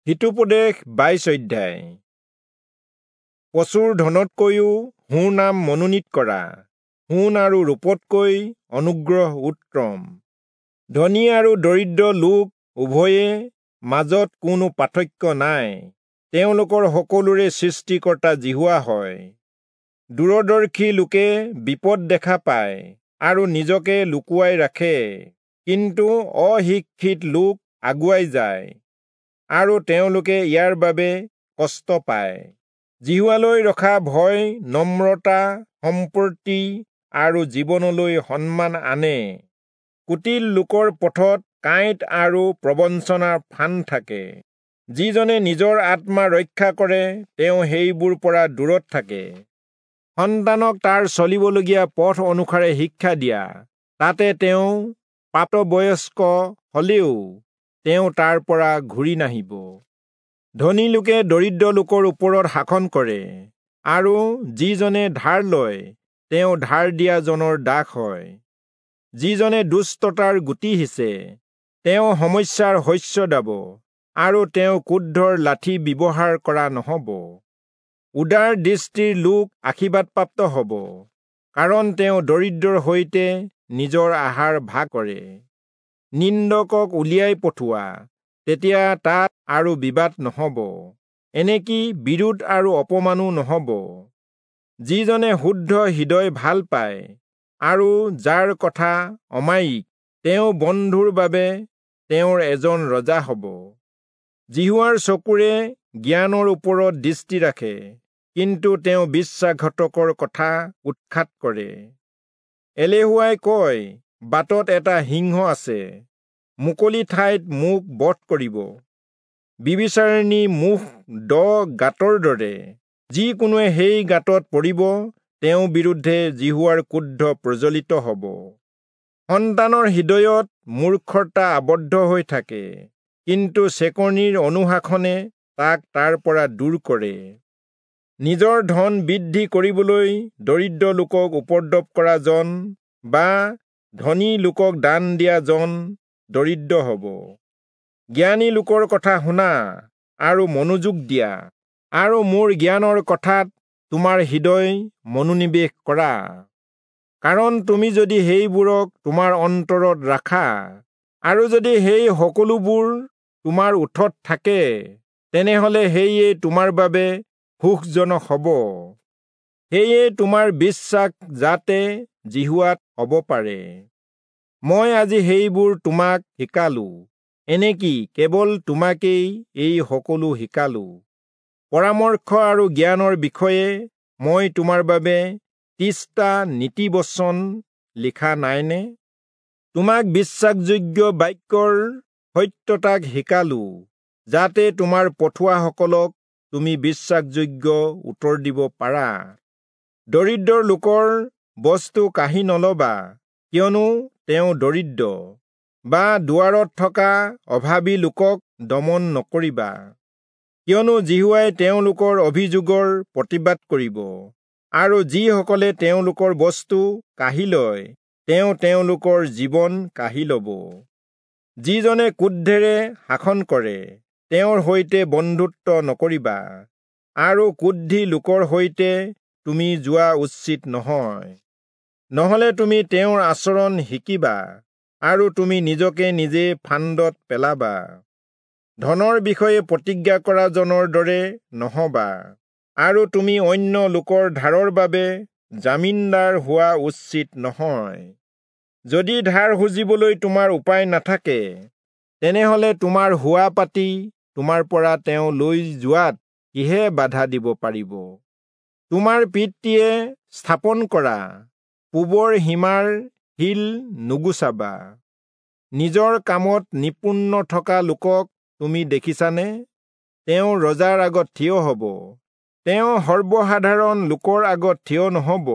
হিতোপদেশ 22 অধ্যায়। প্ৰচুৰ ধনতকৈও সুনাম মনোনীত কৰা, সোণ আৰু ৰূপতকৈ অনুগ্ৰহ উত্তম। ধনী আৰু দৰিদ্ৰ লোক উভয়ে মাজত কোনো পাৰ্থক্য নাই, তেওঁলোকৰ সকলোৰে সৃষ্টিকৰ্তা যিহোৱা হয়। দূৰদৰ্শী লোকে বিপদ দেখা পায় আৰু নিজকে লুকুৱাই ৰাখে, কিন্তু অশিক্ষিত লোক আগুৱাই যায় আৰু তেওঁলোকে ইয়াৰ বাবে কষ্ট পায়। যিহোৱালৈ ৰখা ভয় নম্ৰতা, সম্পত্তি আৰু জীৱনলৈ সন্মান আনে। কুটিল লোকৰ পথত কাঁইট আৰু প্ৰবঞ্চনাৰ ফান থাকে। যিজনে নিজৰ আত্মা ৰক্ষা কৰে তেওঁ সেইবোৰ পৰা দূৰত থাকে। সন্তানক তাৰ চলিবলগীয়া পথ অনুসাৰে শিক্ষা দিয়া, তাতে তেওঁ প্ৰাপ্তবয়স্ক হলেও তেওঁ তাৰ পৰা ঘূৰি নাহিব। ধনী লোকে দৰিদ্ৰ লোকৰ ওপৰত শাসন কৰে, আৰু যিজনে ধাৰ লয় তেওঁ ধাৰ দিয়াজনৰ দাস হয়। যিজনে দুষ্টতাৰ গুটি সিঁচে তেওঁ সমস্যাৰ শস্য দাব, আৰু তেওঁ ক্ৰোধৰ লাঠি ব্যৱহাৰ কৰা নহ'ব। উদাৰ দৃষ্টিৰ লোক আশীৰ্বাদপ্ৰাপ্ত হ'ব, কাৰণ তেওঁ দৰিদ্ৰৰ সৈতে নিজৰ আহাৰ ভাগ কৰে। নিন্দকক উলিয়াই পঠোৱা, তেতিয়া তাত আৰু বিবাদ নহ'ব, এনেকি বিৰোধ আৰু অপমানো নহ'ব। যিজনে শুদ্ধ হৃদয় ভাল পায় আৰু যাৰ কথা অমায়িক, তেওঁ বন্ধুৰ বাবে তেওঁৰ এজন ৰজা হ'ব। যিহোৱাৰ চকুৰে জ্ঞানৰ ওপৰত দৃষ্টি ৰাখে, কিন্তু তেওঁ বিশ্বাসঘাতকৰ কথা উৎখাত কৰে। এলেহুৱাই কয়, বাটত এটা সিংহ আছে, মুকলি ঠাইত মোক বধ কৰিব। বিবিচাৰিণী মুখ দ গাঁতৰ দৰে, যিকোনোৱে সেই গাঁতত পৰিব তেওঁৰ বিৰুদ্ধে যিহোৱাৰ ক্ৰোধ প্ৰজ্বলিত হ'ব। সন্তানৰ হৃদয়ত মূৰ্খতা আবদ্ধ হৈ থাকে, কিন্তু চেকনিৰ অনুশাসনে তাক তাৰ পৰা দূৰ কৰে। নিজৰ ধন বৃদ্ধি কৰিবলৈ দৰিদ্ৰ লোকক উপদ্ৰৱ কৰা জন বা ধনী লোকক দান দিয়া জন দৰিদ্ৰ হ'ব। জ্ঞানী লোকৰ কথা শুনা আৰু মনোযোগ দিয়া, আৰু মোৰ জ্ঞানৰ কথাত তোমাৰ হৃদয় মনোনিৱেশ কৰা। কাৰণ তুমি যদি সেইবোৰক তোমাৰ অন্তৰত ৰাখা, আৰু যদি সেই সকলোবোৰ তোমাৰ ওঠত থাকে, তেনেহলে সেয়ে তোমাৰ বাবে সুখজনক হ'ব। সেয়ে তোমাৰ বিশ্বাস যাতে যিহোৱাত হ'ব পাৰে। মই আজি সেইবোৰ তোমাক শিকালো, এনেকি কেৱল তোমাকেই এই সকলো শিকালো। পৰামৰ্শ আৰু জ্ঞানৰ বিষয়ে মই তোমাৰ বাবে 30টা নীতিবচন লিখা নাইনে? তোমাক বিশ্বাসযোগ্য বাক্যৰ সত্যতাক শিকালো, যাতে তোমাৰ পঠোৱাসকলক তুমি বিশ্বাসযোগ্য উত্তৰ দিব পাৰা। দৰিদ্ৰ লোকৰ বস্তু কাঢ়ি নলবা, কিয়নো তেওঁ দৰিদ্ৰ, বা দুৱাৰত থকা অভাৱী লোকক দমন নকৰিবা, কিয়নো যিহোৱাই তেওঁলোকৰ অভিযোগৰ প্ৰতিবাদ কৰিব, আৰু যিসকলে তেওঁলোকৰ বস্তু কাঢ়ি লয় তেওঁ তেওঁলোকৰ জীৱন কাঢ়ি ল'ব। যিজনে ক্ৰোধেৰে শাসন কৰে তেওঁৰ সৈতে বন্ধুত্ব নকৰিবা, আৰু ক্ৰোধী লোকৰ সৈতে তুমি যোৱা উচিত নহয়। নহ'লে তুমি তেওঁৰ আচৰণ শিকিবা, আৰু তুমি নিজকে নিজে ফান্দত পেলাবা। ধনৰ বিষয়ে প্ৰতিজ্ঞা কৰা জনৰ দৰে নহবা, আৰু তুমি অন্য লোকৰ ধাৰৰ বাবে জামিনদাৰ হোৱা উচিত নহয়। যদি ধাৰ সুজিবলৈ তোমাৰ উপায় নাথাকে, তেনেহলে তোমাৰ হোৱা পাতি তোমাৰ পৰা তেওঁ লৈ যোৱাত কিহে বাধা দিব পাৰিব? তোমাৰ পিতৃয়ে স্থাপন কৰা পূবৰ সীমাৰ শিল নুগুচাবা। নিজৰ কামত নিপুণ থকা লোকক তুমি দেখিছানে? তেওঁ ৰজাৰ আগত থিয় হ'ব, তেওঁ সৰ্বসাধাৰণ লোকৰ আগত থিয় নহ'ব।